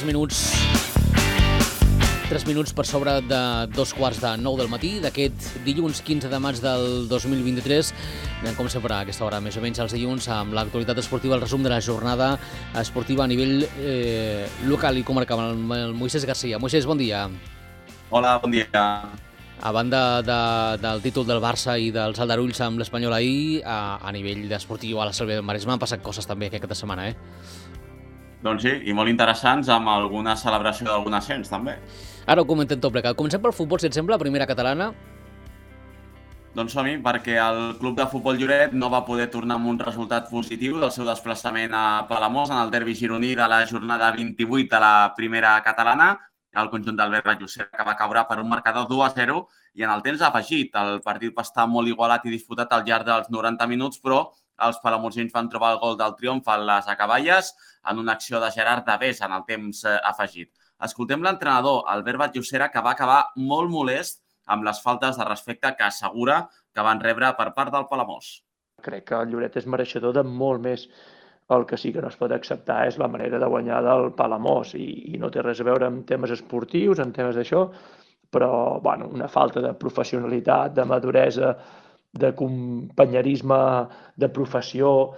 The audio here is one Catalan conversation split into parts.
minuts. 3 minuts per sobre de 2:45 del matí d'aquest dilluns 15 de maig del 2023. Anem, com sempre, a aquesta hora, més o menys els dilluns, amb l'actualitat esportiva, el resum de la jornada esportiva a nivell local i comarcal, amb el Moisés Garcia. Moisés, bon dia. Hola, bon dia. A banda del títol del Barça i dels aldarulls amb l'Espanyol ahir, a nivell esportiu a la Selva del Maresme han passat coses també aquesta setmana, Doncs sí, i molt interessants, amb alguna celebració d'algun ascens, també. Ara ho comentem tot plegat. Comencem pel futbol, si et sembla, primera catalana. Doncs som-hi, perquè el Club de Futbol Lloret no va poder tornar amb un resultat positiu del seu desplaçament a Palamós en el derbi gironí de la jornada 28 de la primera catalana. El conjunt d'Albert Vallucer, que va caure per un marcador 2-0, i en el temps afegit. El partit va estar molt igualat i disputat al llarg dels 90 minuts, però els palamosins van trobar el gol del triomf a les acaballes en una acció de Gerard Davés en el temps afegit. Escoltem l'entrenador, Albert Vallucer, que va acabar molt molest amb les faltes de respecte que assegura que van rebre per part del Palamós. Crec que el Lloret és mereixedor de molt més. El que sí que no es pot acceptar és la manera de guanyar del Palamós i no té res a veure amb temes esportius, amb temes d'això, però una falta de professionalitat, de maduresa, de companyerisme, de professió,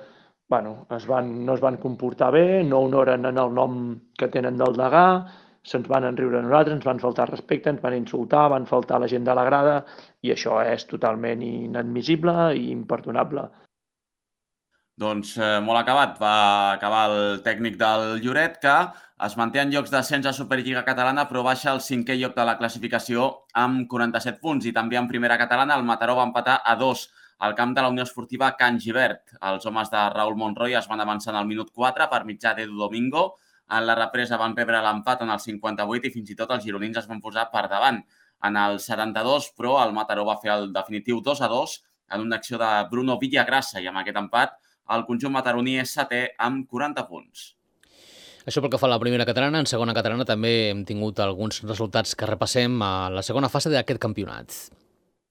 no es van comportar bé, no honoren en el nom que tenen del degà, se'ns van enriure a nosaltres, ens van faltar respecte, ens van insultar, van faltar la gent de la grada, i això és totalment inadmissible i imperdonable. Doncs molt acabat. Va acabar el tècnic del Lloret, que es manté en llocs d'ascens a Superliga Catalana, però baixa al 5è lloc de la classificació amb 47 punts. I també en primera catalana el Mataró va empatar a 2 al camp de la Unió Esportiva Can Gibert. Els homes de Raúl Monroy es van avançar en el minut 4 per mitjà d'Edu Domingo. En la represa van rebre l'empat en el 58 i fins i tot els gironins es van posar per davant en el 72, però el Mataró va fer el definitiu 2-2 en una acció de Bruno Villagrassa, i amb aquest empat el conjunt mataroní és 7è amb 40 punts. Això pel que fa a la primera catalana. En segona catalana també hem tingut alguns resultats que repassem a la segona fase d'aquest campionat.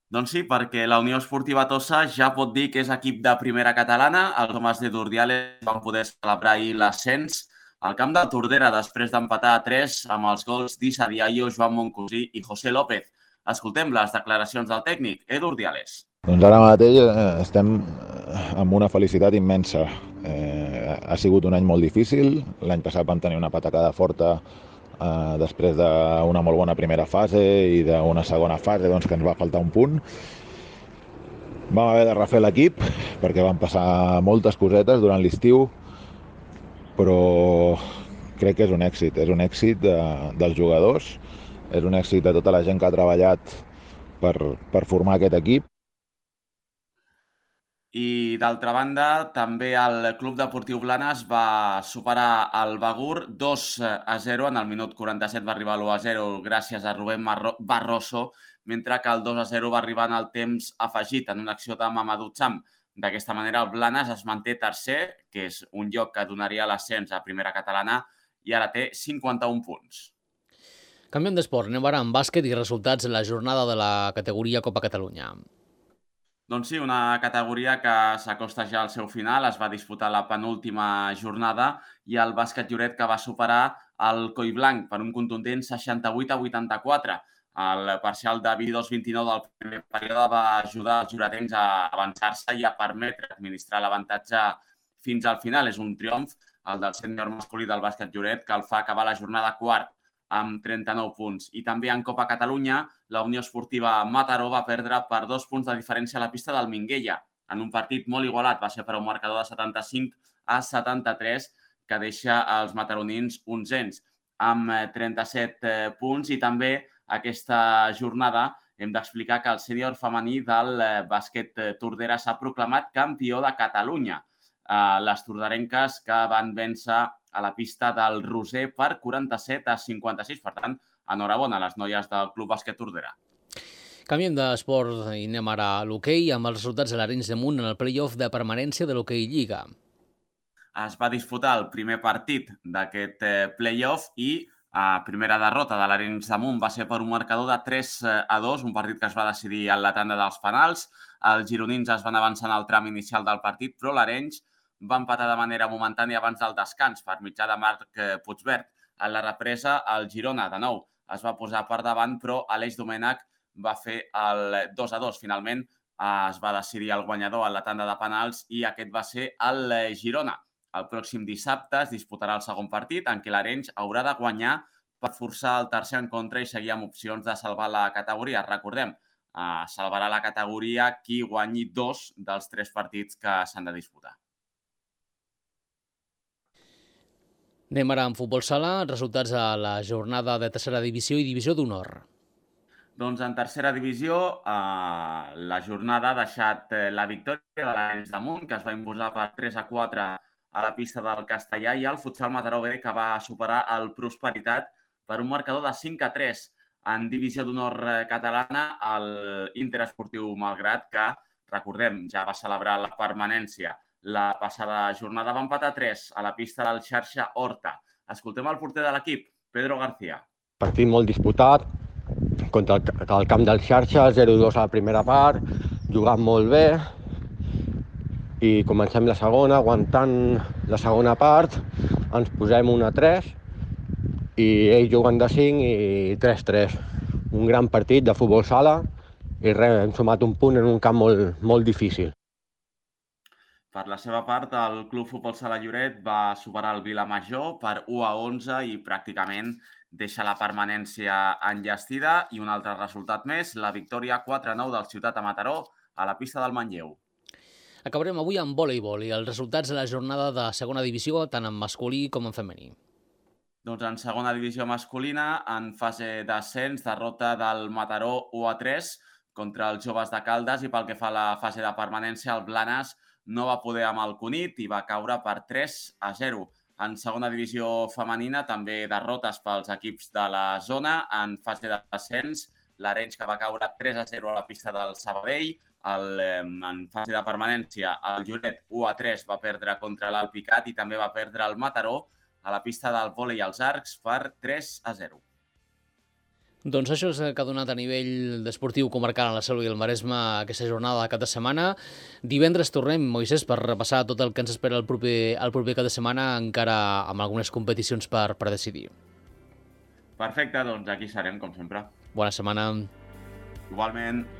Doncs sí, perquè la Unió Esportiva Tossa ja pot dir que és equip de primera catalana. Els homes de Durdiales van poder celebrar ahir l'ascens al camp de Tordera després d'empatar a 3 amb els gols d'Issa Diallo, Joan Moncosí i José López. Escoltem les declaracions del tècnic, Edu Urdiales. Doncs ara mateix estem amb una felicitat immensa. Ha sigut un any molt difícil. L'any passat vam tenir una patacada forta després d'una molt bona primera fase i d'una segona fase que ens va faltar un punt. Vam haver de refer l'equip perquè van passar moltes cosetes durant l'estiu, però crec que és un èxit dels jugadors, és un èxit de tota la gent que ha treballat per formar aquest equip. I d'altra banda, també el Club Deportiu Blanes va superar el Begur 2-0. En el minut 47 va arribar l'1-0 gràcies a Rubén Barroso, mentre que el 2-0 va arribar en el temps afegit en una acció de Mamadou Cham. D'aquesta manera, el Blanes es manté tercer, que és un lloc que donaria l'ascens a primera catalana, i ara té 51 punts. Canviem d'esport. Anem ara amb bàsquet i resultats de la jornada de la categoria Copa Catalunya. Doncs sí, una categoria que s'acosta ja al seu final. Es va disputar la penúltima jornada i el bàsquet Lloret, que va superar el Collblanc per un contundent 68-84. El parcial de 22-29 del primer període va ajudar els lloretencs a avançar-se i a permetre administrar l'avantatge fins al final. És un triomf, el del sènior masculí del bàsquet Lloret, que el fa acabar la jornada quart amb 39 punts. I també en Copa Catalunya, la Unió Esportiva Mataró va perdre per 2 punts de diferència a la pista del Minguella. En un partit molt igualat, va ser per un marcador de 75-73, que deixa els mataronins onzens amb 37 punts. I també aquesta jornada hem d'explicar que el sènior femení del bàsquet Tordera s'ha proclamat campió de Catalunya. Les torderenques que van vèncer a la pista del Roser per 47-56. Per tant, enhorabona a les noies del Club Bàsquet Tordera. Canviem d'esport i anem ara a l'hoquei amb els resultats de l'Arenys de Munt en el play-off de permanència de l'hoquei Lliga. Es va disputar el primer partit d'aquest play-off i primera derrota de l'Arenys de Munt va ser per un marcador de 3-2, un partit que es va decidir en la tanda dels penals. Els gironins es van avançar en el tram inicial del partit, però l'Arenys va empatar de manera momentània abans del descans per mitjà de Marc Puigvert. A la represa, el Girona, de nou, es va posar per davant, però Aleix Domènech va fer el 2-2. Finalment es va decidir el guanyador en la tanda de penals i aquest va ser el Girona. El pròxim dissabte es disputarà el segon partit en què l'Arenys haurà de guanyar per forçar el tercer en contra i seguir amb opcions de salvar la categoria. Recordem, salvarà la categoria qui guanyi 2 dels 3 partits que s'han de disputar. Anem ara amb futbol sala, resultats a la jornada de tercera divisió i divisió d'honor. Doncs en tercera divisió, la jornada ha deixat la victòria de l'Arenys de Munt, que es va imposar per 3-4 a la pista del Castellà, i el Futsal Mataró B, que va superar el Prosperitat per un marcador de 5-3. En divisió d'honor catalana, l'Inter Esportiu Malgrat, que, recordem, ja va celebrar la permanència la passada jornada, va empatar 3 a la pista del Xarxa Horta. Escoltem el porter de l'equip, Pedro García. Partit molt disputat, contra el camp del Xarxa, 0-2 a la primera part, jugant molt bé, i comencem la segona, aguantant la segona part, ens posem 1-3, i ells juguen de 5 i 3-3. Un gran partit de futbol sala, i res, hem sumat un punt en un camp molt difícil. Per la seva part, el Club Futbol Sala Lloret va superar el Vilamajor per 1-11 i pràcticament deixa la permanència enllestida. I un altre resultat més, la victòria 4-9 del Ciutat de Mataró a la pista del Manlleu. Acabarem avui amb voleibol i els resultats de la jornada de segona divisió, tant en masculí com en femení. Doncs en segona divisió masculina, en fase d'ascens, derrota del Mataró 1-3 contra els Joves de Caldes, i pel que fa a la fase de permanència, el Blanes no va poder amb el Cunit i va caure per 3-0. En segona divisió femenina, també derrotes pels equips de la zona. En fase d'ascens, l'Arenys, que va caure 3-0 a la pista del Sabadell. En fase de permanència, el Lloret 1-3 va perdre contra l'Alpicat i també va perdre el Mataró a la pista del vòlei als arcs per 3-0. Doncs això és el que ha donat a nivell esportiu comarcal a la Selva i el Maresme aquesta jornada de cap de setmana. Divendres tornem, Moisès, per repassar tot el que ens espera el proper cap de setmana, encara amb algunes competicions per decidir. Perfecte, doncs aquí serem, com sempre. Bona setmana. Igualment.